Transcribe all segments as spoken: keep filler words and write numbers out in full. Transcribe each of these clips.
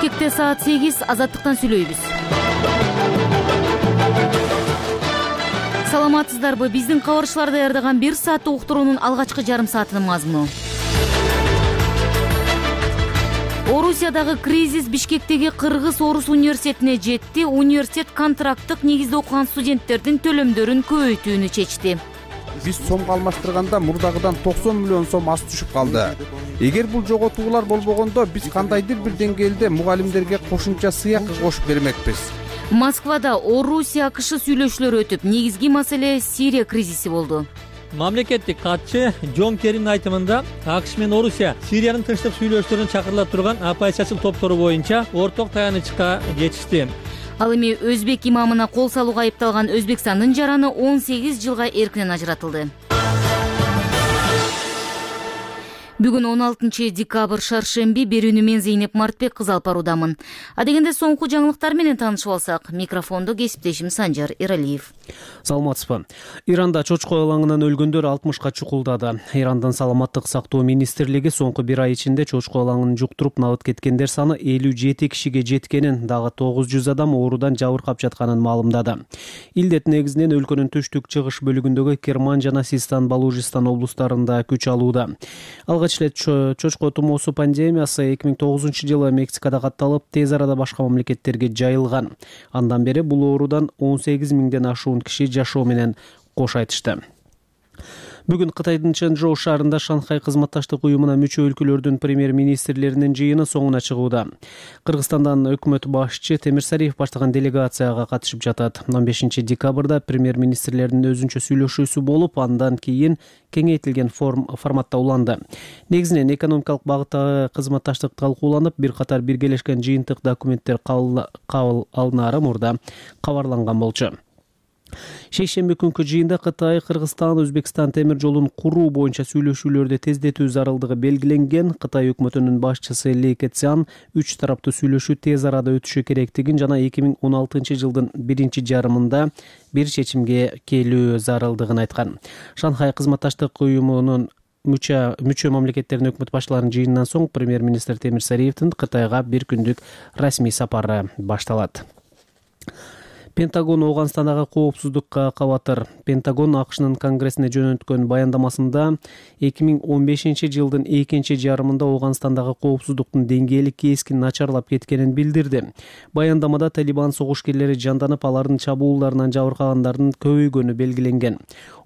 Бишкекте саат сегиз, Азаттыктан сүйлөйбүз. Саламатсыздарбы? Биздин кабарчылар даярдаган бир сааттык уктуруунун алгачкы жарым саатынын мазмуну. Орусиядагы кризис Бишкектеги Кыргыз-Орус университетине жетти. Университет контракттык негизде окуган студенттердин төлөмдөрүн көбөйтүүнү чечти. Биз сомго алмаштырганда мурдагыдан токсон миллион сом аз түшүп калды. Эгер бул жоготуулар болбогондо биз кандайдыр бир деңгээлде мугалимдерге кошумча сыйак кошуп бермекпиз. Москвада Орусия АКШ сүйлөшүүлөрү өтүп, негизги маселе Сирия кризиси болду. Мамлекеттик катчы Джон Керринин айтымында АКШ менен Орусия Сириянын тынчтык сүйлөшүүлөрүн чакырыла турган оппозициячыл топтору боюнча орток таянычка жетишти. Ал эми өзбек имамына кол салууга айыпталган Өзбекстандын жараны он сегиз жылга эркинен ажыратылды. Бүгүн он алтынчы декабрь шаршемби, берүүнү мен Зейнеп Мартбек кыз алып баруудамын. Адегенде соңку жаңылыктар менен таанышып алсак, микрофондо кесиптешим Санжар Эралиев. Саламатсызбы. Иранда чочко ылаңынан өлгөндөр алтымышка чукулдады. Ирандын саламаттык сактоо министрлиги соңку бир ай ичинде чочко ылаңын жуктуруп набыт кеткендер саны элүү жети кишиге жеткенин, дагы тогуз жүз адам оорудан жабыркап жатканын маалымдады. Илдет негизинен өлкөнүн түштүк чыгыш бөлүгүндөгү Керман жана Систан Балужистан облустарында күч алууда. Алгач эле чочко тумоосу пандемиясы эки миң тогузунчу жылы Мексикада катталып, тез арада башка мамлекеттерге жайылган. Андан бери бул оорудан он сегиз миңден ашуун киши жашоо менен кош айтышты. Бүгүн Кытайдын Чэнчжоу шаарында Шанхай кызматташтык уюмуна мүчө өлкөлөрдүн премьер-министрлеринин жыйыны соңуна чыгууда. Кыргызстандан өкмөт башчы Темирсариев баштаган делегацияга катышып жатат. он бешинчи декабрда премьер-министрлердин өзүнчө сүйлөшүүсү болуп, андан кийин кеңейтилген форм форматта уланды. Негизинен экономикалык багыттагы кызматташтык талкууланып, бир катар биргелешкен жыйынтык документтер кабыл алынары мурда кабарланган болчу. Шейшемби күнкү жыйында Кытай, Кыргызстан, Өзбекстан темир жолун куруу боюнча сүйлөшүүлөрдү тездетүү зарылдыгы белгиленген. Кытай өкмөтүнүн башчысы Ли Кэцян үч тараптуу сүйлөшүү тез арада өтүшү керектигин жана эки миң он алтынчы жылдын биринчи жарымында бир чечимге келүү зарылдыгын айткан. Шанхай кызматташтык уюмунун мүчө мүчө мамлекеттердин өкмөт башчыларынын жыйынынан соң премьер-министр Темирсариевдин Кытайга бир күндүк расмий сапары башталат. Пентагон Ооганстандагы коопсуздукка кабатыр. Пентагон АКШнын Конгрессине жөнөткөн баяндамасында эки миң он бешинчи жылдын экинчи жарымында Ооганстандагы коопсуздуктун деңгээли кескин начарлап кеткенин билдирди. Баяндамада Талибан согушкерлери жанданып, алардын чабуулдарынан жабыркагандардын көбөйгөнү белгиленген.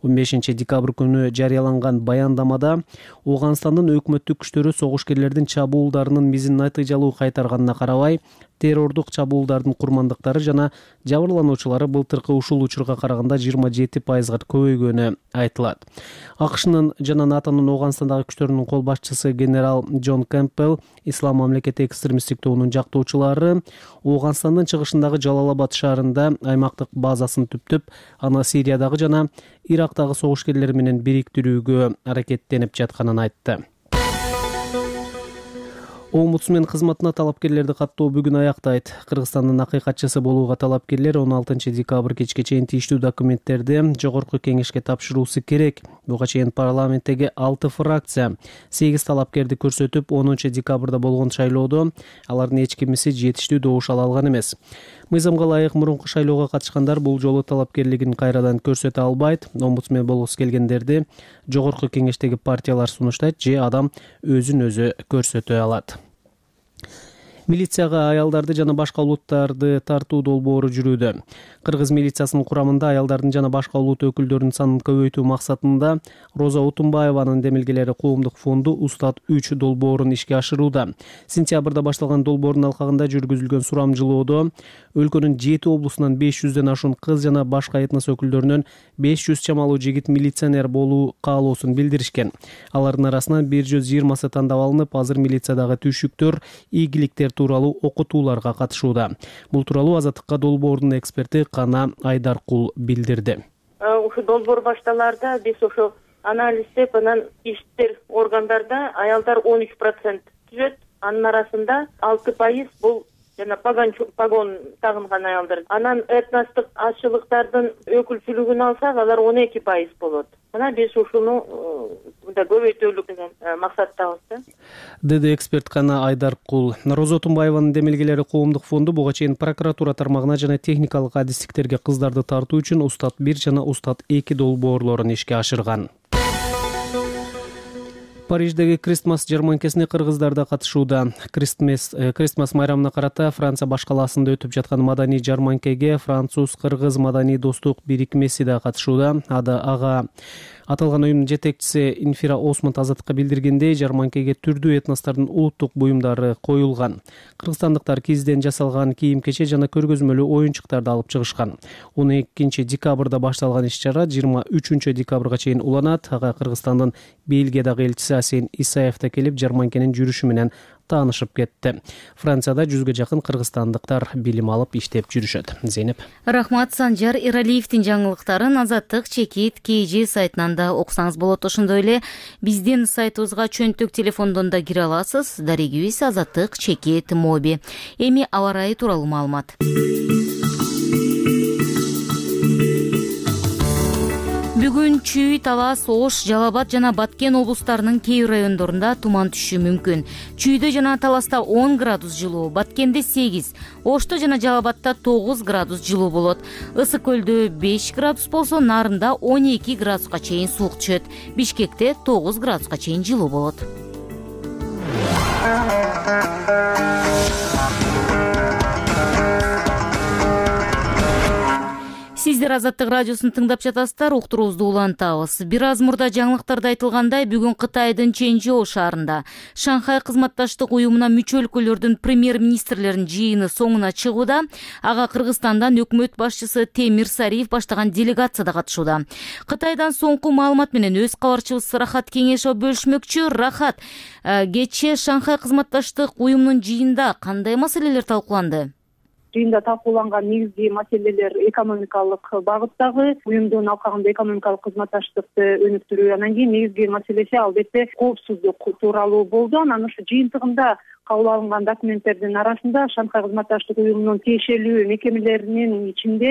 он бешинчи декабрь күнү жарыяланган баяндамада Ооганстандын өкмөттүк күчтөрү согушкерлердин чабуулдарынын мизин натыйжалуу кайтарганына карабай, террордук чабуулдардын курмандыктары жана жабырлануучулары былтыркы ушул учурга караганда жыйырма жети пайызга көбөйгөнү айтылат. АКШнын жана НАТОнун Ооганстандагы күчтөрүнүн кол башчысы генерал Джон Кэмпбелл Ислам мамлекети экстремисттик тобунун жактоочулары Ооганстандын чыгышындагы Жалалабад шаарында аймактык базасын түптөп, аны Сириядагы жана Ирактагы согушкерлер менен бириктирүүгө аракеттенип жатканын айтты. Омбудсмен кызматына талапкерлерди каттоо бүгүн аяктайт. Кыргызстандын акыйкатчысы болууга талапкерлер он алтынчы декабрь кечке чейин тийиштүү документтерди жогорку кеңешке тапшыруусу керек. Буга чейин парламенттеги алты фракция сегиз талапкерди көрсөтүп, онунчу декабрда болгон шайлоодо алардын эч кимиси жетиштүү добуш ала алган эмес. Мыйзамга ылайык мурунку шайлоого катышкандар бул жолу талапкерлигин кайрадан көрсөтө албайт. Омбудсмен болгусу келгендерди жогорку кеңештеги партиялар сунуштайт же адам өзүн өзү көрсөтө алат. Милицияга аялдарды жана башка улуттарды тартуу долбоору жүрүүдө. Кыргыз милициясынын курамында аялдардын жана башка улут өкүлдөрүнүн санын көбөйтүү максатында Роза Утумбаеванын демилгелери коомдук фонду Устат үч долбоорун ишке ашырууда. Сентябрда башталган долбоордун алкагында жүргүзүлгөн сурамжылоодо өлкөнүн жети облусунан беш жүздөн ашуун кыз жана башка этнос өкүлдөрүнөн беш жүз чамалуу жигит милиционер болуу каалоосун билдиришкен. Алардын арасынан бир жүз жыйырмасы тандап алынып, азыр милициядагы түйшүктөр, ийгиликтер тууралуу окутууларга катышууда. Бул тууралуу Азаттыкка долбоордун эксперти Кана Айдаркул билдирди. Ушу долбоор башталарда биз ошо анализдеп, анан иштер органдарда аялдар он үч процент түзөт, анын арасында алты пайыз бул жана погон погон тагынган аялдар. Анан этностук азчылыктардын өкүлчүлүгүн алсак, алар он эки пайыз болот. Мына биз ушуну мындай көбөйтөлүк деген максаттабыз да. Деди эксперткана Айдаркул. Роза Тумбаеванын демилгелери коомдук фонду буга чейин прокуратура тармагына жана техникалык адистиктерге кыздарды тартуу үчүн Устат бир жана Устат эки долбоорлорун ишке ашырган. Париждеги Кристмас жарманкесине кыргыздар да катышууда. Кристмас Кристмас майрамына карата Франция баш калаасында өтүп жаткан маданий жарманкеге француз-кыргыз маданий достук бирикмеси да катышууда. Ада ага аталган уюмдун жетекчиси Инфира Осмонт Азаттыкка билдиргендей, жарманкеге түрдүү этностордун улуттук буюмдары коюлган. Кыргызстандыктар кизден жасалган кийим-кече жана көргөзмөлүү оюнчуктарды алып чыгышкан. он экинчи декабрда башталган иш-чара жыйырма үчүнчү декабрга чейин уланат. Ага Кыргызстандын Бельгиядагы элчиси Асен Исаев да келип, жарманкенин жүрүшү менен таанышып кетти. Францияда жүзгө жакын кыргызстандыктар билим алып иштеп жүрүшөт. Зейнеп. Рахмат. Санжар Иралиевдин жаңылыктарын Азаттык чекит кей же сайтынан да окусаңыз болот. Ошондой эле биздин сайтыбызга чөнтөк телефондон да кире аласыз. Дарегибиз Азаттык чекит моби. Эми аба ырайы тууралуу маалымат. Бүгүн Чүй, Талас, Ош, Жалал Абад жана Баткен облустарынын кээ бир райондорунда туман түшүшү мүмкүн. Чүйдө жана Таласта он градус жылуу, Баткенде сегиз, Ошто жана Жалал Абадта тогуз градус жылуу болот. Ысык көлдө беш градус болсо, Нарында он эки градуска чейин суук түшөт. Бишкекте тогуз градуска чейин жылуу болот. Сиздер Азаттык радиосун тыңдап жатасыздар, уктуруубузду улантабыз. Бир аз мурда жаңылыктарда айтылгандай, бүгүн Кытайдын Чэньчжоу шаарында Шанхай кызматташтык уюмуна мүчө өлкөлөрдүн премьер-министрлеринин жыйыны соңуна чыгууда. Ага Кыргызстандан өкмөт башчысы Темир Сариев баштаган делегация да катышууда. Кытайдан соңку маалымат менен өз кабарчыбыз Рахат Кеңешов бөлүшмөкчү. Рахат, кечээ Шанхай кызматташтык уюмунун жыйынында кандай маселелер талкууланды? Жыйында талкууланган негизги маселелер экономикалык багыттагы, уюмдун алкагында экономикалык кызматташтыкты өнүктүрүү, анан кийин негизги маселеси албетте коопсуздук тууралуу болду. Анан ушу жыйынтыгында кабыл алынган документтердин арасында Шанхай кызматташтык уюмунун тиешелүү мекемелеринин ичинде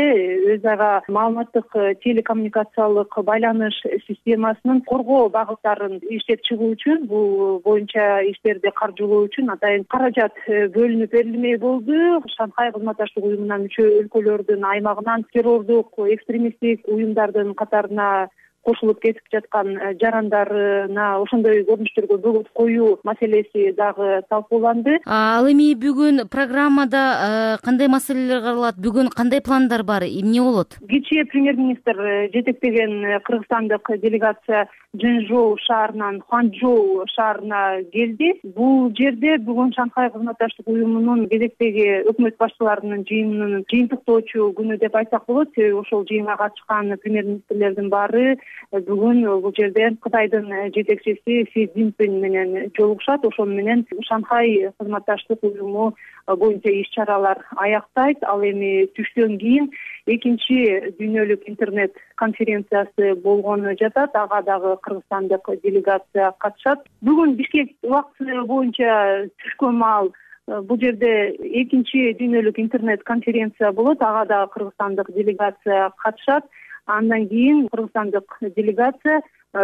өз ара маалыматтык телекоммуникациялык байланыш системасынын коргоо багыттарын иштеп чыгуу үчүн, бул боюнча иштерди каржылоо үчүн атайын каражат бөлүнүп берилмей болду. Шанхай кызматташтык уюмуна мүчө өлкөлөрдүн аймагынан террордук экстремисттик уюмдардын катарына кошулуп кетип жаткан жарандарына ошондой көрүнүштөргө бөгөт коюу маселеси дагы талкууланды. Ал эми бүгүн программада кандай маселелер каралат? Бүгүн кандай пландар бар? Эмне болот? Кечээ премьер-министр жетектеген кыргызстандык делегация Чэньчжоу шаарынан Ханчжоу шаарына келди. Бул жерде бүгүн Шанхай кызматташтык уюмунун кезектеги өкмөт башчыларынын жыйынынын жыйынтыктоочу күнү деп айтсак болот. Себеби ошол жыйынга катышкан премьер-министрлердин баары бүгүн бул жерде Кытайдын жетекчиси Си Цзиньпин менен жолугушат. Ошол менен Шанхай кызматташтык уюму боюнча иш-чаралар аяктайт. Ал эми түштөн кийин экинчи дүйнөлүк интернет конференциясы болгону жатат. Ага дагы кыргызстандык делегация катышат. Бүгүн Бишкек убакыты боюнча түшкөн маал бул жерде экинчи дүйнөлүк интернет конференция болот. Ага дагы кыргызстандык делегация катышат. Андан кийин кыргызстандык делегация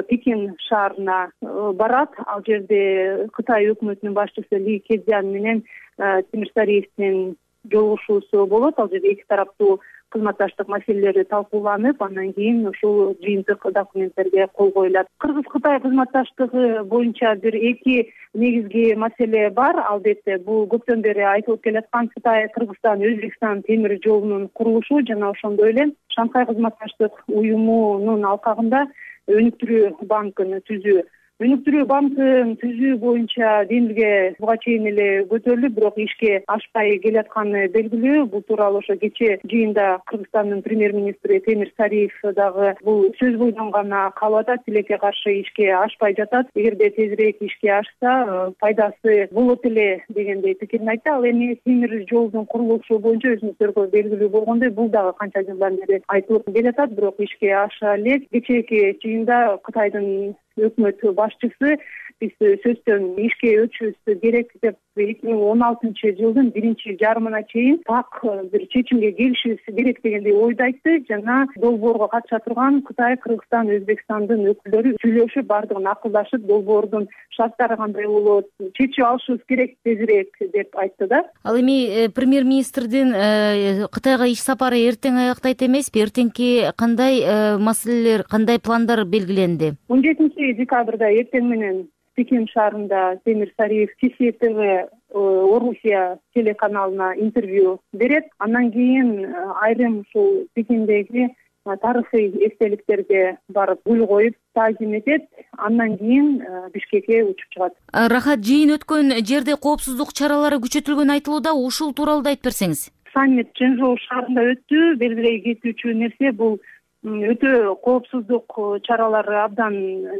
Пекин шаарына барат. Ал жерде Кытай өкмөтүнүн башчысы Ли Кезян менен Темир Сариевдин жолугушуусу болот. Ал жерде эки тараптуу кызматташтык маселелери талкууланып, андан кийин ушул жыйынтык документтерге кол коюлат. Кыргыз-Кытай кызматташтыгы боюнча бир эки негизги маселе бар. Албетте бул көптөн бери айтылып келаткан Кытай, Кыргызстан, Өзбекстан темир жолунун курулушу жана ошондой эле Шанхай кызматташтык уюмунун алкагында өнүктүрүү банкын түзүү. Өнүктүрүү банкын түзүү боюнча демилге буга чейин эле көтөрүлүп, бирок ишке ашпай келатканы белгилүү. Бул тууралуу ошо кечээ жыйында Кыргызстандын премьер-министри Темир Сариев дагы бул сөз бойдон гана калып атат, тилекке каршы ишке ашпай жатат. Эгерде тезирээк ишке ашса, пайдасы болот эле дегендей пикирин айтты. Ал эми темир жолдун курулушу боюнча өзүңүздөргө белгилүү болгондой, бул дагы канча жылдан бери айтылып келатат, бирок ишке аша элек. Кечээки жыйында Кытайдын өкмөт башчысы биз сөзсүз ишке өтүшүбүз керек деп эки миң он алтынчы жылдын биринчи жарымына чейин так бир чечимге келишибиз керек дегендей ойду айтты жана долбоорго катыша турган Кытай, Кыргызстан, Өзбекстандын өкүлдөрү сүйлөшүп бардыгын акылдашып долбоордун шарттары кандай болот чечип алышыбыз керек тезирээк деп айтты да. Ал эми премьер-министрдин Кытайга иш сапары эртең аяктайт эмеспи? Эртеңки кандай маселелер, кандай пландар белгиленди? он жетинчи декабрда эртең менен Пекин шаарында Темир Сариев Ти Си Тэ Вэ Орусия телеканалына интервью берет. Андан кийин айрым ушул Пекиндеги тарыхый эстеликтерге барып гүл коюп таазим этет. Андан кийин Бишкекке учуп чыгат. Рахат, жыйын өткөн жерде коопсуздук чаралары күчөтүлгөнү айтылууда. Ушул тууралуу да айтып берсеңиз. Саммит Чжэнчжоу шаарында өттү. Белгилей кетүүчү нерсе бул өтө коопсуздук чаралары абдан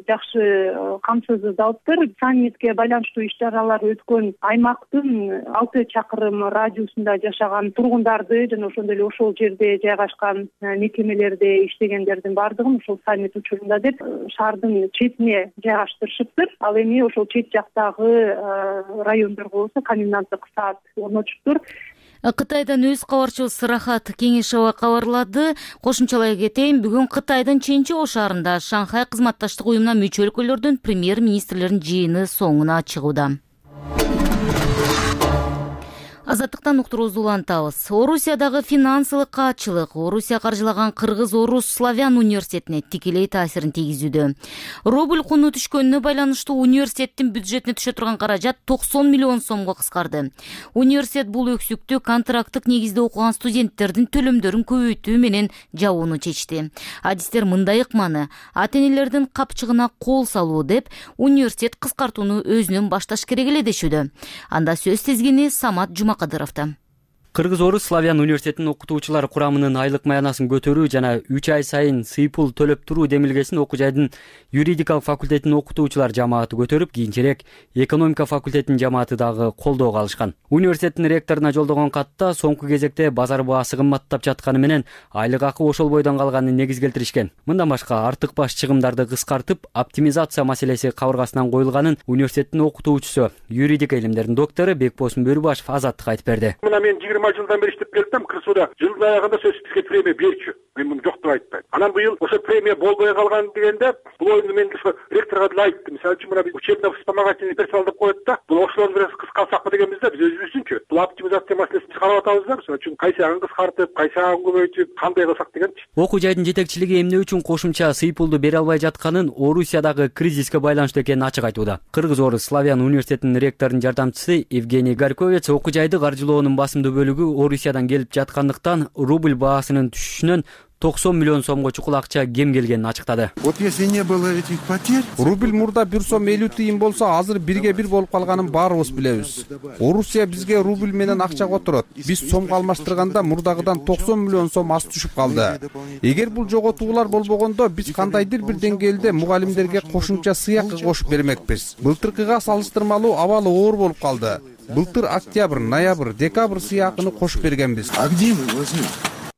жакшы камсыздалыптыр. Саммитке байланыштуу иш-чаралар өткөн аймактын алты чакырым радиусунда жашаган тургундарды жана ошондой эле ошол жерде жайгашкан мекемелерде иштегендердин баардыгын ушул саммит учурунда деп шаардын четине жайгаштырышыптыр. Ал эми ошол чет жактагы райондорго болсо коменданттык саат орнотушуптур. Кытайдан өз кабарчыбыз Рахат Кеңешова кабарлады. Кошумчалай кетейин, бүгүн Кытайдын Чэньчжоу шаарында Шанхай кызматташтык уюмуна мүчө өлкөлөрдүн премьер-министрлеринин жыйыны соңуна чыгууда. Азаттыктан уктуруубузду улантабыз. Орусиядагы финансылык каатчылык Орусия каржылаган Кыргыз-Орус Славян университетине тикелей таасирин тийгизүүдө. Рубль куну түшкөнүнө байланыштуу университеттин бюджетине түшө турган каражат токсон миллион сомго кыскарды. Университет бул өксүктү контракттык негизде окуган студенттердин төлөмдөрүн көбөйтүү менен жабууну чечти. Адистер мындай ыкманы ата-энелердин капчыгына кол салуу деп университет кыскартууну өзүнөн башташ керек эле дешүүдө. Анда сөз тизгини Самат Жума Кыргыз-Орус Славян университетинин окутуучулар курамынын айлык маянасын көтөрүү жана үч ай сайын сыйпул төлөп туруу демилгесин окуу жайдын юридикалык факультетинин окутуучулар жамааты көтөрүп, кийинчерээк экономика факультетинин жамааты дагы колдоого алышкан. Университеттин ректоруна жолдогон катта соңку кезекте базар баасы кымбаттап жатканы менен айлык акы ошол бойдон калганын негиз келтиришкен. Мындан башка артык баш чыгымдарды кыскартып, оптимизация маселеси кабыргасынан коюлганын университеттин окутуучусу, юридика илимдеринин доктору Бекбосун Бөрүбашев Азаттыкка айтып берди. Жылдан бери иштеп келдим. Кырсууда жылдын аягында сөзсүз бизге премия берчү. Мен муну жок деп айтпайм. Анан быйыл ошо премия болбой калган дегенде, бул оюнду мен ошо ректорго деле айттым. Мисалы үчүн мына биз учебно-вспомогательный персонал деп коет да. Бул ошолорду бир аз кыскартсакпы дегенбизде, биз өзүбүздүнчү бул оптимизация маселесин чыгарып атабыз да. Мисалы үчүн кайсы ягын кыскартып, кайсы ягын көбөйтүп, кандай кылсак дегенчи. Окуу жайдын жетекчилиги эмне үчүн кошумча сыйпулду бере албай жатканын Орусиядагы кризиске байланыштуу экенин ачык айтууда. Кыргыз-Орус Славян университетинин ректорунун жардамчысы Евгений Горьковец окуу жайды каржылоонун басымдуу бөлүгү Орусиядан келип жаткандыктан рубль баасынын түшүшүнөн токсон миллион сомго чукул акча кем келгенин ачыктады. Вот если не было этих потерь, рубль мурда бир сом элүү тыйын болсо, азыр бирге бир болуп калганын баарыбыз билебиз. Орусия бизге рубль менен акча которот. Биз сомго алмаштырганда мурдагыдан токсон миллион сом аз түшүп калды. Эгер бул жоготуулар болбогондо, биз кандайдыр бир деңгээлде мугалимдерге кошумча сыйакы кошуп бермекпиз. Былтыркыга салыштырмалуу абалы оор болуп калды. Былтыр октябрь, ноябрь, декабрь сыйакыны кошуп бергенбиз. А где мы возьмем?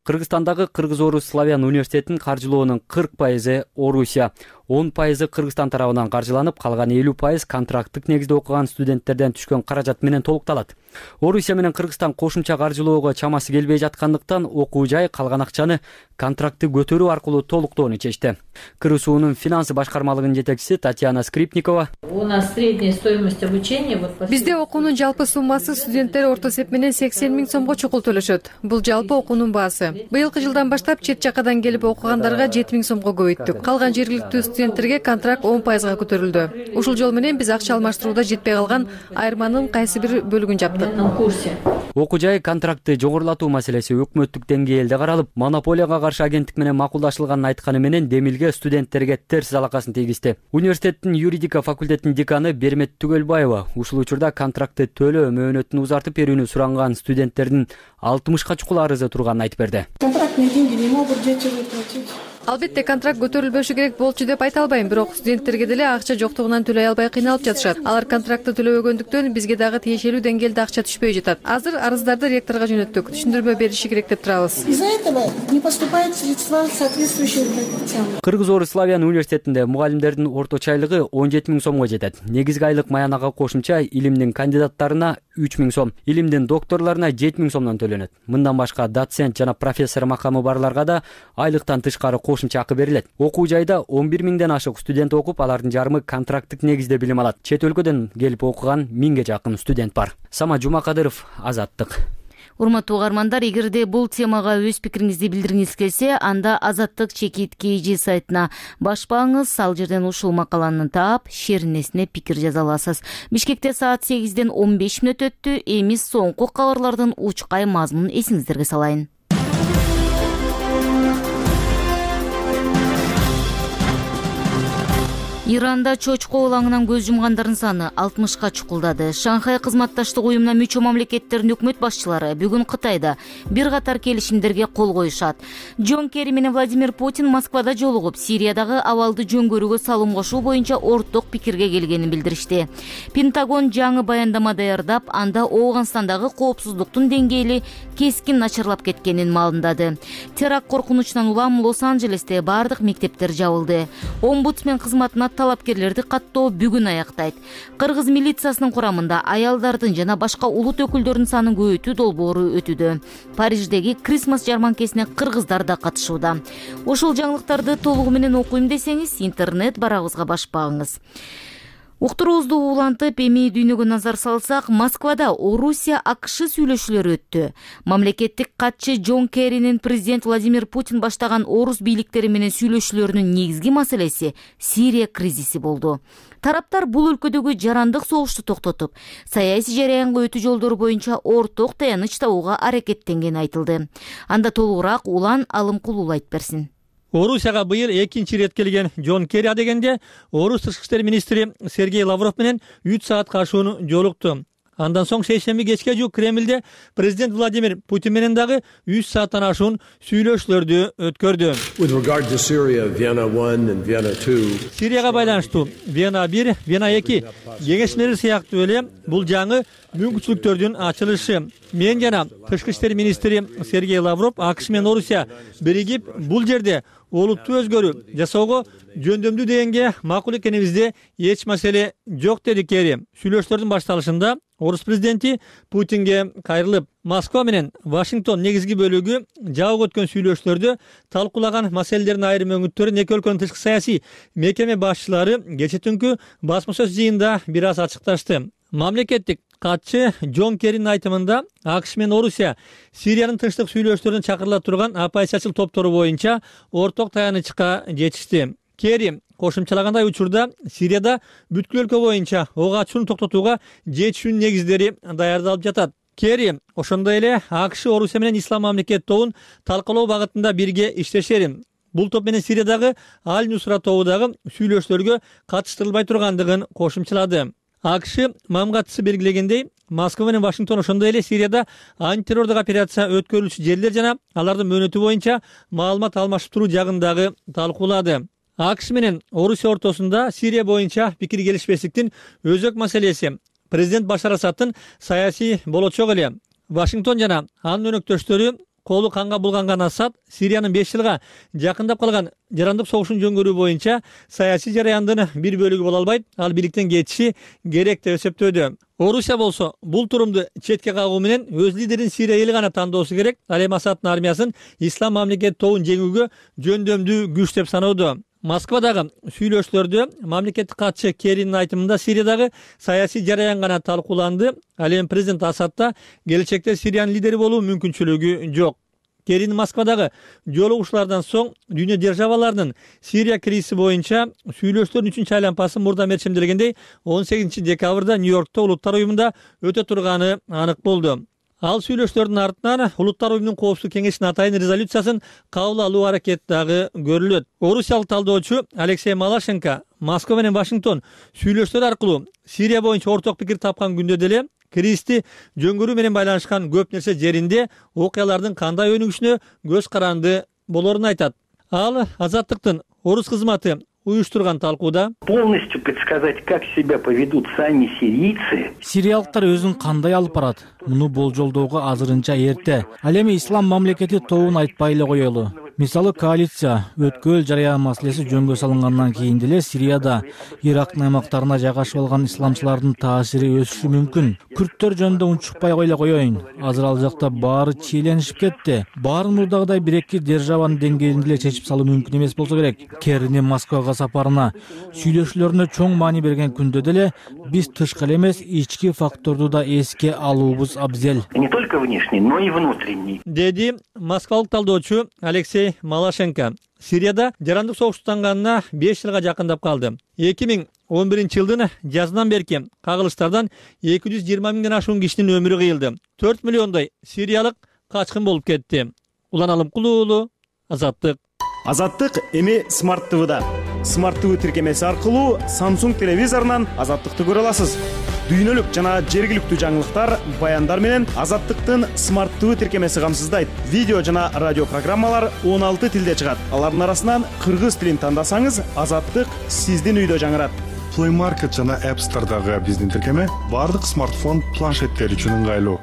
Кыргызстандагы Кыргыз-Орус Славян университетинин каржылоонун кырк пайызы Орусия, он пайызы Кыргызстан тарабынан каржыланып, калган элүү пайыз контракттык негизде окуган студенттерден түшкөн каражат менен толукталат. Орусия менен Кыргызстан кошумча каржылоого чамасы келбей жаткандыктан окуу жай калган акчаны контрактты көтөрүү аркылуу толуктоону чечти. КырУСУнун финансы башкармалыгынын жетекчиси Татьяна Скрипникова: У нас средняя стоимость обучения вот бизде окуунун жалпы суммасы студенттер орто эсеп менен сексен миң сомго чукул төлөшөт. Бул жалпы окуунун баасы. Быйылкы жылдан баштап чет жакадан келип окугандарга жети миң сомго көбөйттүк. Калган жергиликтүү студенттерге контракт он пайызга көтөрүлдү. Ушул жол менен биз акча алмаштырууда жетпей калган айырманын кайсы бир бөлүгүн жаптык. Окуу жай контрактты жогорулатуу маселеси өкмөттүк деңгээлде каралып, монополияга каршы агенттик менен макулдашылганын айтканы менен демилге студенттерге терс залакасын тийгизди. Университеттин юридика факультетинин деканы Бермет Түгөлбаева ушул учурда контрактты төлөө мөөнөтүн узартып берүүнү суранган студенттердин алтымышка чукул арызы турганын айтып берди. Контрактные деньги не могут дети выплатить. Албетте контракт көтөрүлбөшү керек болчу деп айта албайм, бирок студенттерге деле акча жоктугунан төлөй албай кыйналып жатышат. Алар контрактты төлөбөгөндүктөн бизге дагы тиешелүү деңгээлде акча түшпөй жатат. Азыр арыздарды ректорго жөнөттүк. Түшүндүрмө бериши керек деп турабыз. Из-за этого не поступают средства соответствующие родителям. Кыргыз-Орус славян университетинде мугалимдердин орточо айлыгы он жети миң сомго жетет. Негизги айлык маянага кошумча илимдин кандидаттарына үч миң сом, илимдин докторлоруна жети миң сомдон төлөнөт. Мындан башка доцент жана профессор макамы барларга да айлыктан тышкары кошумча акы берилет. Окуу жайда он бир миңден ашык студент окуп, алардын жарымы контракттык негизде билим алат. Чет өлкөдөн келип окуган миңге жакын студент бар. Сама Жумакадыров, Азаттык. Урматтуу угармандар, эгерде бул темага өз пикириңизди билдиргиңиз келсе, анда Азаттык чекит kg сайтына башпаңыз, ал жерден ушул макаланы таап, шеринесине пикир жаза аласыз. Бишкекте саат сегизден он беш мүнөт өттү. Эми соңку кабарлардын учкай мазмунун эсиңиздерге салайын. Иранда чочко улаңынан көз жумгандардын саны алтымышка чукулдады. Шанхай кызматташтык уюмуна мүчө мамлекеттердин өкмөт башчылары бүгүн Кытайда бир катар келишимдерге кол коюшат. Джон Керри менен Владимир Путин Москвада жолугуп, Сириядагы абалды жөнгөрүүгө салым кошуу боюнча орток пикирге келгенин билдиришти. Пентагон жаңы баяндама даярдап, анда Ооганстандагы коопсуздуктун деңгээли кескин начарлап кеткенин маалымдады. Теракт коркунучунан улам Лос-Анджелесте бардык мектептер жабылды. Омбудсмен кызматына талапкерлерди каттоо бүгүн аяктайт. Кыргыз милициясынын курамында аялдардын жана башка улут өкүлдөрүнүн санын көбөйтүү долбоору өтүүдө. Париждеги Крисмас жарманкесине кыргыздар да катышууда. Ушул жаңылыктарды толугу менен окуйм десеңиз, интернет барагыбызга башпагыңыз. Уктуруубузду улантып, эми дүйнөгө назар салсак, Москвада Орусия АКШ сүйлөшүүлөрү өттү. Мамлекеттик катчы Джон Керринин президент Владимир Путин баштаган орус бийликтери менен сүйлөшүүлөрүнүн негизги маселеси Сирия кризиси болду. Тараптар бул өлкөдөгү жарандык согушту токтотуп, саясий жараянга өтүү жолдору боюнча орток таяныч табууга аракеттенгени айтылды. Анда толугураак Улан Алымкулуу айтып берсин. Орусияга быйыл экинчи ирет келген Джон Керри адегенде орус тышкы иштер министри Сергей Лавров менен үч саат кашууну жолукту. Андан соң шейшемби кечке жуук Кремлде президент Владимир Путин менен дагы үч сааттан ашуун сүйлөшүүлөрдү өткөрдү. Сирияга байланыштуу Вена бир, Вена эки кеңешмелери сыяктуу эле бул жаңы мүмкүнчүлүктөрдүн ачылышы. Мен жана тышкы иштер министри Сергей Лавров АКШ менен Орусия биригип бул жерде олуттуу өзгөрүү жасоого жөндөмдүү дегенге макул экенибизде эч маселе жок, деди Керри. Сүйлөшүүлөрдүн башталышында орус президенти Путинге кайрылып, Москва менен Вашингтон негизги бөлүгү жабык өткөн сүйлөшүүлөрдө талкуулаган маселелердин айрым өңүттөрүн эки өлкөнүн тышкы саясий мекеме башчылары кечээ түнкү басма сөз жыйынында бир аз ачыкташты. Мамлекеттик катчы Джон Керринин айтымында АКШ менен Орусия Сириянын тынчтык сүйлөшүүлөрүн чакырыла турган оппозициячыл топтору боюнча орток таянычка жетишти. Керри кошумчалагандай, учурда Сирияда бүткүл өлкө боюнча ок ачууну токтотууга жетишүүнүн негиздери даярдалып жатат. Керри ошондой эле АКШ Орусия менен Ислам мамлекет тобун талкалоо багытында бирге иштешерин, бул топ менен Сириядагы Аль-Нусра тобудагы сүйлөшүүлөргө катыштырылбай тургандыгын кошумчалады. АКШ мамгатчысы белгилегендей, Москва менен Вашингтон ошондой эле Сирияда антитеррордук операция өткөрүлүчү жерлер жана алардын мөөнөтү боюнча маалымат алмашып туруу жагын дагы талкуулады. АКШ менен Орусия ортосунда Сирия боюнча пикир келишпестиктин өзөк маселеси президент Башар Асадтын саясий болочогу эле. Вашингтон жана анын өнөктөштөрү колу канга булганган Асад Сириянын беш жылга жакындап калган жарандык согушун жөнгөрүү боюнча саясий жараяндын бир бөлүгү боло албайт, ал бийликтен кетиши керек деп эсептөөдө. Орусия болсо бул турумду четке кагуу менен өз лидерин Сирия эли гана тандоосу керек, ал эми Асадтын армиясын Ислам мамлекет тобун жеңүүгө жөндөмдүү күч деп саноодо. Москвадагы сүйлөшүүлөрдө мамлекеттик катчы Керринин айтымында Сириядагы саясий жараян гана талкууланды, ал эми президент Асадта келечекте Сириянын лидери болуу мүмкүнчүлүгү жок. Керрин Москвадагы жолугушуулардан соң дүйнө державаларынын Сирия кризиси боюнча сүйлөшүүлөрдүн үчүнчү айлампасы мурда мерчемделгендей он сегизинчи декабрда Нью-Йоркто Улуттар уюмунда өтө турганы анык болду. Ал сүйлөшүүлөрдүн артынан Улуттар уюмунун коопсуздук кеңешинин атайын резолюциясын кабыл алуу аракети дагы көрүлөт. Орусиялык талдоочу Алексей Малашенко Москва менен Вашингтон сүйлөшүүлөр аркылуу Сирия боюнча орток пикир тапкан күндө деле кризисти жөнгөрүү менен байланышкан көп нерсе жеринде окуялардын кандай өнүгүшүнө көз каранды болорун айтат. Ал Азаттыктын орус кызматы уюштурган талкууда полностью предсказать, как себя поведут сами сирийцы. Сириялыктар өзүн кандай алып барат? Муну болжолдоого азырынча эрте. Ал эми ислам мамлекети тобун айтпай эле коелу. Мисалы, коалиция өткөл жарыян маселеси жөнгө салынгандан кийин деле Сирияда Ирактын аймактарына жайгашып алган исламчылардын таасири өсүшү мүмкүн. Күрттөр жөнүндө унчукпай эле коеюн. Азыр ал жакта баары чиеленишип кетти. Баарын мурдагыдай бир эки державанын деңгээлинде эле чечип салуу мүмкүн эмес болсо керек. Керинин Москвага сапарына сүйлөшүүлөрүнө чоң маани берген күндө деле биз тышкы эле эмес, ички факторду да эске алуубуз абзел. Не только внешний, но и внутренний. Деди москвалык талдоочу Алексей Малашенко. Сирияда жарандык согуш тутанганына беш жылга жакындап калды. эки миң он биринчи жылдын жазынан берки кагылыштардан эки жүз жыйырма миңден ашуун кишинин өмүрү кыйылды. төрт миллиондой сириялык качкын болуп кетти. Улан Алымкулуу уулу, Азаттык. Азаттык эми Смарт ТВда. Смарт ТВ тиркемеси аркылуу Samsung телевизорунан Азаттыкты көрө аласыз. Дүйнөлүк жана жергиликтүү жаңылыктар, баяндар менен Азаттыктын Смарт ТВ тиркемеси камсыздайт. Видео жана радио программалар он алты тилде чыгат. Алардын арасынан кыргыз тилин тандасаңыз, Азаттык сиздин үйдө жаңырат. Play Market жана App Store'дагы биздин тиркеме бардык смартфон, планшеттер үчүн ыңгайлуу.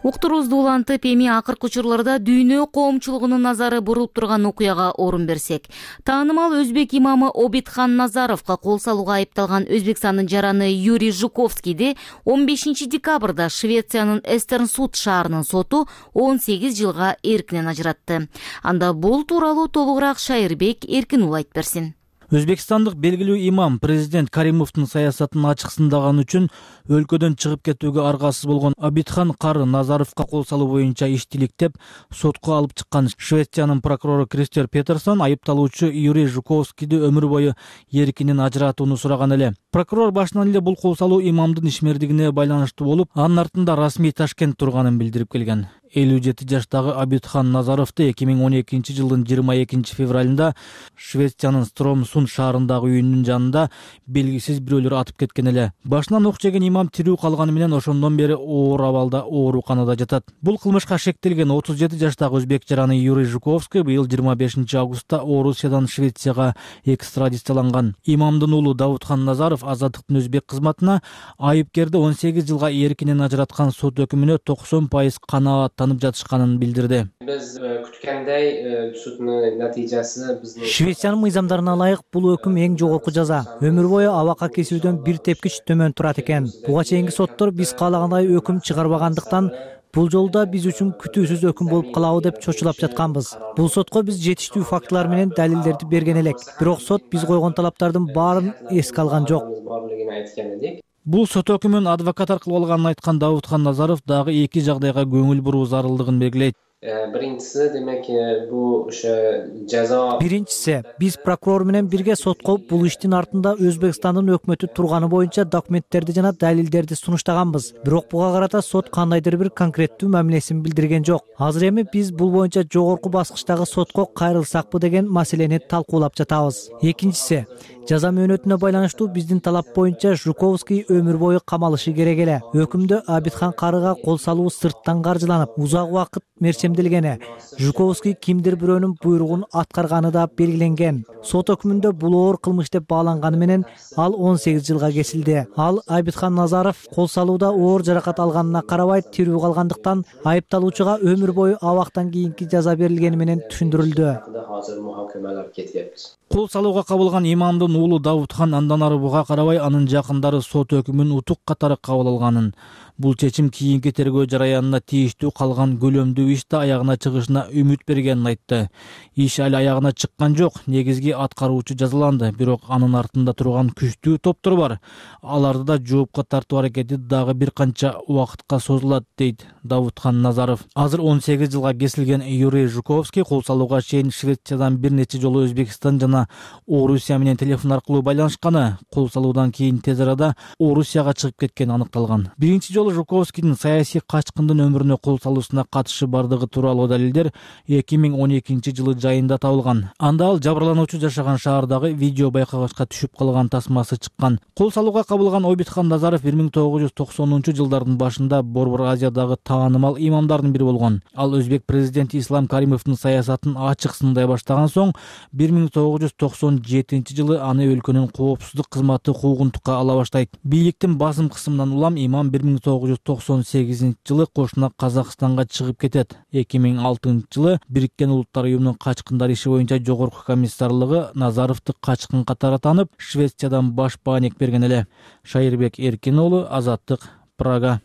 Уктурубузду улантып, эми акыркы учурларда дүйнө коомчулугунун назары бурулуп турган окуяга орун берсек. Таанымал өзбек имамы Обидхан Назаровго кол салууга айыпталган Өзбекстандын жараны Юрий Жуковскийди он бешинчи декабрда Швециянын Эстернсуд шаарынын соту он сегиз жылга эркинен ажыратты. Анда бул тууралуу толугураак Шайырбек Эркинул айтып берсин. Өзбекстандык белгилүү имам президент Каримовдун саясатын ачык сындаган үчүн өлкөдөн чыгып кетүүгө аргасыз болгон Обидхан Кары Назаровго кол салуу боюнча иштиликтеп сотко алып чыккан. Швециянын прокурору Кристер Петерсон айыпталуучу Юрий Жуковскийди өмүр бою эркинен ажыратууну сураган эле. Прокурор башынан эле бул кол салуу имамдын ишмердигине байланыштуу болуп, анын артында расмий Ташкент турганын билдирип келген. элүү жети жаштагы Обидхан Назаровду эки миң он экинчи жылдын жыйырма экинчи февралында Швециянын Стромсунд шаарындагы үйүнүн жанында белгисиз бирөөлөр атып кеткен эле. Башынан ок жеген имам тирүү калганы менен ошондон бери оор абалда ооруканада жатат. Бул кылмышка шектелген отуз жети жаштагы өзбек жараны Юрий Жуковский быйыл жыйырма бешинчи августта Орусиядан Швецияга экстрадицияланган. Имамдын уулу Давудхан Назаров Азаттыктын өзбек кызматына айыпкерди он сегиз жылга эркинен ажыраткан сот өкүмүнө токсон пайыз канаат танып жатышканын билдирди. Биз күткөндөй суттун натыйжасы биздин Швециянын мыйзамдарына ылайык бул өкүм эң жогорку жаза. Өмүр бою абакка кесүүдөн бир тепкич төмөн турат экен. Буга чейинки соттор биз каалагандай өкүм чыгарбагандыктан бул жолда биз үчүн күтүүсүз өкүм болуп калабы деп чочулап жатканбыз. Бул сотко биз жетиштүү фактылар менен далилдерди берген элек. Бирок сот биз койгон талаптардын баарын эске алган жок. Бул сот өкүмүн адвокат аркылуу алганын айткан Давудхан Назаров дагы эки жагдайга көңүл буруу зарылдыгын белгилейт. Биринчиси демек бул ошо жаза Биринчиси биз прокурор менен бирге сотко бул иштин артында Өзбекстандын өкмөтү турганы боюнча документтерди жана далилдерди сунуштаганбыз. Бирок буга карата сот кандайдыр бир конкреттүү мамилесин билдирген жок. Азыр эми биз бул боюнча жогорку баскычтагы сотко кайрылсакпы деген маселени талкуулап жатабыз. Экинчиси жаза мөөнөтүнө байланыштуу биздин талап боюнча Жуковский өмүр бою камалышы керек эле. Өкүмдө Обидхан Карыга кол салуу сырттан каржыланып, узак убакыт мерчемделгени, Жуковский кимдир бирөөнүн буйругун аткарганы да белгиленген. Сот өкүмүндө бул оор кылмыш деп бааланганы менен ал он сегиз жылга кесилди. Ал Обидхан Назаров кол салууда оор жаракат алганына карабай тирүү калгандыктан айыпталуучуга өмүр бою абактан кийинки жаза берилгени менен түшүндүрүлдү. Кол салууга кабылган имамдын уулу Давудхан андан ары буга карабай анын жакындары сот өкүмүн утук катары кабыл алганын, бул чечим кийинки тергөө жараянына тийиштүү калган көлөмдүү ишти аягына чыгышына үмүт бергенин айтты. Иш али аягына чыккан жок, негизги аткаруучу жазаланды, бирок анын артында турган күчтүү топтор бар. Аларды да жоопко тартуу аракети дагы бир канча убакытка созулат, дейт Давудхан Назаров. Азыр он сегиз жылга кесилген Юрий Жуковский кол салууга чейин Швециядан бир нече жолу Өзбекстан жана жана Орусия менен телефон аркылуу байланышканы, кол салуудан кийин тез арада Орусияга чыгып кеткени аныкталган. Биринчи жолу Жуковскийдин саясий качкындын өмүрүнө кол салуусуна катышы бардыгы тууралуу далилдер эки миң он экинчи жылы жайында табылган. Анда ал жабырлануучу жашаган шаардагы видео байкагачка түшүп калган тасмасы чыккан. Кол салууга кабылган Обитхан Назаров бир миң тогуз жүз токсонунчу жылдардын башында Борбор Азиядагы таанымал имамдардын бири болгон. Ал өзбек президенти Ислам Каримовдун саясатын ачык сындай баштаган соң бир миң тогуз жүз токсон жетинчи жылы аны өлкөнүн коопсуздук кызматы куугунтукка ала баштайт. Бийликтин басым кысымынан улам имам бир миң тогуз жүз токсон сегизинчи жылы кошуна Казакстанга чыгып кетет. эки миң алтынчы жылы Бириккен Улуттар уюмунун качкындар иши боюнча жогорку комиссарлыгы Назаровду качкын катары таанып, Швециядан баш бааник берген эле. Шайырбек Эркин уулу, Азаттык, Прага.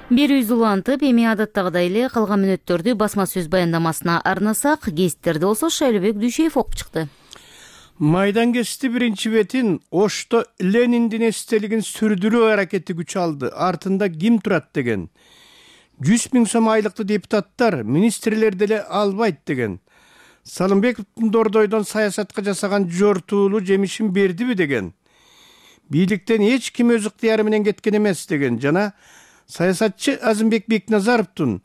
Берүүбүз улантып, эми адаттагыдай эле калган мүнөттөрдү басма сөз баяндамасына арнасак, гезиттерде болсо Шайлыбек Дүйшеев окуп чыкты. Майдан кести биринчи бетин Ошто Лениндин эстелигин сүрдүрүү аракети күч алды. Артында ким турат деген. жүз миң сом айлыктуу депутаттар, министрлер деле албайт деген. Салымбековдун Дордойдон саясатка жасаган жортуулуу жемишин бердиби деген. Бийликтен эч ким өз ыктыяры менен кеткен эмес деген. Жана саясатчы Азымбек Бекназаровдун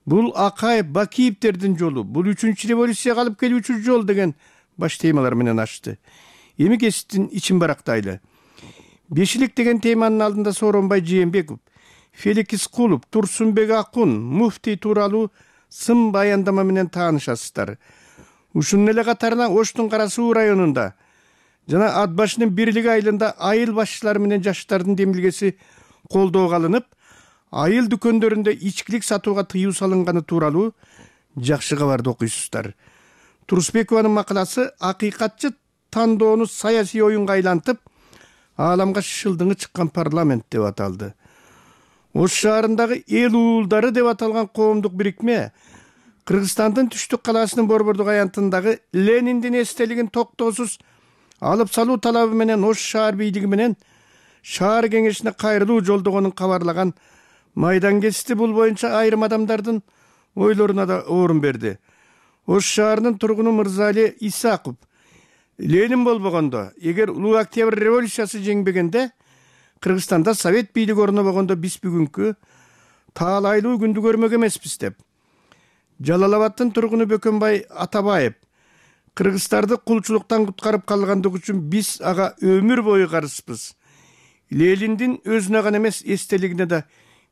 бул Акаев Бакиевдердин жолу, бул үчүнчү революцияга алып келүүчү жол деген баш темалар менен ачты. Эми кесиптин ичин барактайлы. Бешилик деген теманын алдында Сооронбай Жээнбеков, Фелик Искулов, Турсунбек Акун, муфтий тууралуу сын баяндама менен таанышасыздар. Ушунун эле катарына Оштун Кара Суу районунда жана Ат башынын Бирлиги айылында айыл башчылары менен жаштардын демилгеси колдоого алынып, айыл дүкөндөрүндө ичкилик сатууга тыюу салынганы тууралуу жакшы кабарды окуйсуздар. Турсбекованын макаласы акыйкатчы тандоону саясий оюнга айлантып, ааламга шылдыңы чыккан парламент деп аталды. Ош шаарындагы эл уулдары деп аталган коомдук бирикме Кыргызстандын түштүк калаасынын Борбордук аянтындагы Лениндин эстелигин токтоосуз алып салуу талабы менен Ош шаар бийлиги менен шаар кеңешине кайрылуу жолдогонун кабарлаган майдан кести бул боюнча айрым адамдардын ойлоруна да орун берди. Ош шаарынын тургуну Мырзали Исаков Ленин болбогондо, эгер улуу октябрь революциясы жеңбегенде, Кыргызстанда совет бийлиги орнобогондо биз бүгүнкү таалайлуу күндү көрмөк эмеспиз деп. Жалал-Абадтын тургуну Бөкөнбай Атабаев кыргыздарды кулчулуктан куткарып калгандыгы үчүн биз ага өмүр бою карызбыз. Лениндин өзүнө гана эмес эстелигине да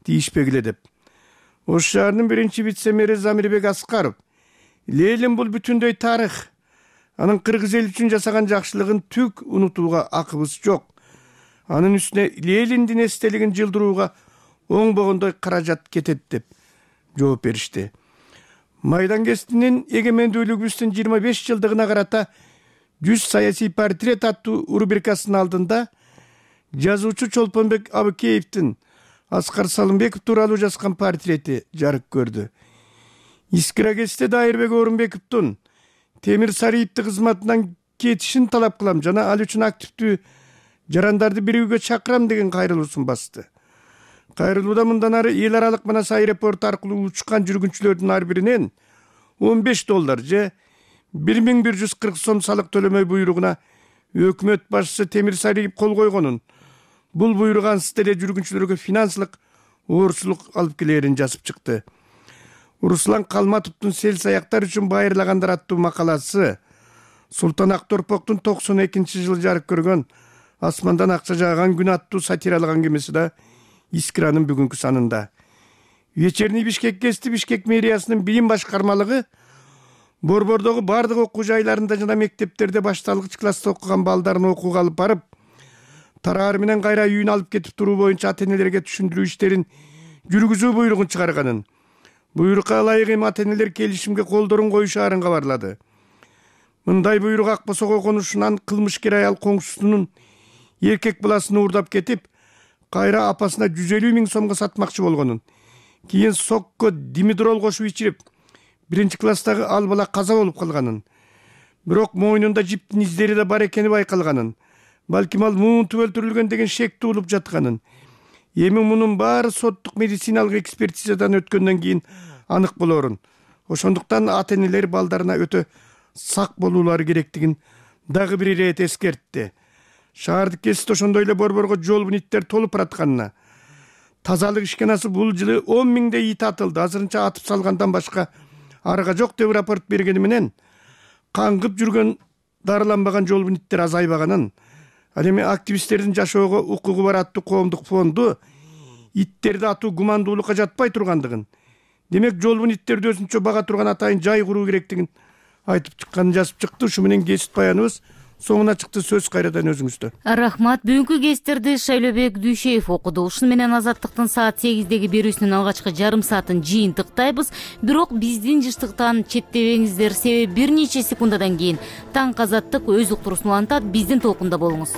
тийишпегиле деп. Ош шаарынын биринчи вице-мэри Замирбек Аскаров Ленин бул бүтүндөй тарых. Анын кыргыз эл үчүн жасаган жакшылыгын түк унутууга акыбыз жок. Анын үстүнө Лениндин эстелигин жылдырууга оңбогондой каражат кетет деп жооп беришти. Майдан кестинин эгемендүүлүгүбүздүн жыйырма беш жылдыгына карата жүз саясий портрет аттуу рубрикасынын алдында жазуучу Чолпонбек Абыкеевдин Аскар Салымбеков тууралуу жазган портрети жарык көрдү. Искира кесте Дайырбек Орунбековдун Темир Сариевди кызматынан кетишин талап кылам жана ал үчүн активдүү жарандарды бирүүгө чакырам деген кайрылуусун басты. Кайрылууда мындан ары эл аралык Манас аэропорту аркылуу учкан жүргүнчүлөрдүн ар биринен он беш доллар же бир миң бир жүз кырк сом салык төлөмөй буйругуна өкмөт башчысы Темир Сариев кол койгонун, бул буйрук ансыз деле жүргүнчүлөргө финансылык оорчулук алып келерин жазып чыкты. Руслан Калматовдун сел саяктар үчүн байырлагандар аттуу макаласы Султан Акторпоктун токсон экинчи жылы жарык көргөн Асмандан акча жааган күн аттуу сатиралык аңгемеси да Искиранын бүгүнкү санында. Вечерний Бишкек кести Бишкек мэриясынын билим башкармалыгы Борбордогу бардык окуу жайларында жана мектептерде башталгыч класста окуган балдарын окууга алып барып, тараар менен кайра үйүнө алып кетип туруу боюнча ата-энелерге түшүндүрүү иштерин жүргүзүү буйругун чыгарганын. Буйрукка ылайык эми ата-энелер келишимге колдорун коюшаарын кабарлады. Мындай буйрук Акбосого конушунан кылмышкер аял коңшусунун эркек баласын уурдап кетип, кайра апасына жүз элүү миң сомго сатмакчы болгонун, кийин сокко димедрол кошуп ичирип, биринчи класстагы ал бала каза болуп калганын, бирок мойнунда жиптин издери да бар экени байкалганын, балким ал муунтуп өлтүрүлгөн деген шек туулуп жатканын. Эми мунун баары соттук медициналык экспертизадан өткөндөн кийин анык болорун. ошондуктан ата энелер балдарына өтө сак болуулары керектигин дагы бир ирет эскертти. Шаардык кесипте ошондой эле борборго жол иттер толуп баратканына, тазалык ишканасы бул жылы он миңдей ит атылды, азырынча атып салгандан башка арга жок деп рапорт бергени менен каңгып жүргөн дарыланбаган жол иттер азайбаганын, ал эми активисттердин жашоого укугу бар аттуу коомдук фонду иттерди атуу гумандуулукка жатпай тургандыгын, демек жол иттерди өзүнчө бага турган атайын жай куруу керектигин айтып чыкканын жазып чыкты. Ушу менен кесип баяныбыз соңуна чыкты. Сөз кайрадан өзүңүздө. Рахмат. Бүгүнкү кесиптерди Шайлообек Дүйшеев окуду. Ушуну менен Азаттыктын саат сегиздеги берүүсүнүн алгачкы жарым саатын жыйынтыктайбыз. Бирок биздин жыштыктан четтебеңиздер, себеби бир нече секундадан кийин Таң Азаттык өз уктуруусун улантат. Биздин толкунда болуңуз.